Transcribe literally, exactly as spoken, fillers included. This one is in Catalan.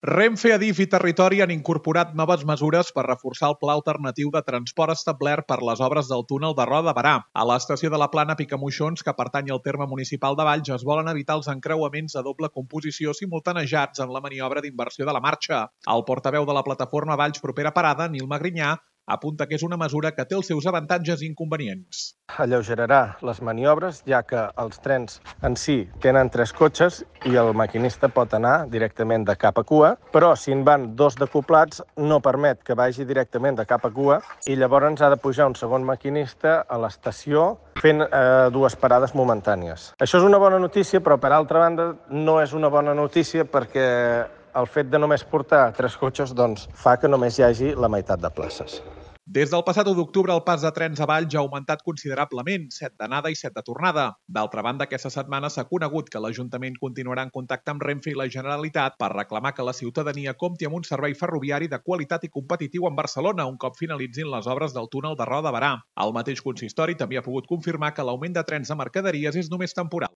Renfe, Adif i Territori han incorporat noves mesures per reforçar el pla alternatiu de transport establert per les obres del túnel de Roda de Berà. A l'estació de la Plana Picamoixons, que pertany al terme municipal de Valls, es volen evitar els encreuaments de doble composició simultanejats en la maniobra d'inversió de la marxa. El portaveu de la plataforma Valls Propera Parada, Nil Magrinyà, apunta que és una mesura que té els seus avantatges i inconvenients. Alleugerarà les maniobres, ja que els trens en si tenen tres cotxes i el maquinista pot anar directament de cap a cua, però si en van dos decoblats no permet que vagi directament de cap a cua i llavors ha de pujar un segon maquinista a l'estació fent eh, dues parades momentànies. Això és una bona notícia, però per altra banda no és una bona notícia perquè el fet de només portar tres cotxes doncs, fa que només hi hagi la meitat de places. Des del passat u d'octubre, el pas de trens a Valls ha augmentat considerablement, set d'anada i set de tornada. D'altra banda, aquesta setmana s'ha conegut que l'Ajuntament continuarà en contacte amb Renfe i la Generalitat per reclamar que la ciutadania compti amb un servei ferroviari de qualitat i competitiu en Barcelona un cop finalitzin les obres del túnel de Roda de Berà. El mateix consistori també ha pogut confirmar que l'augment de trens de mercaderies és només temporal.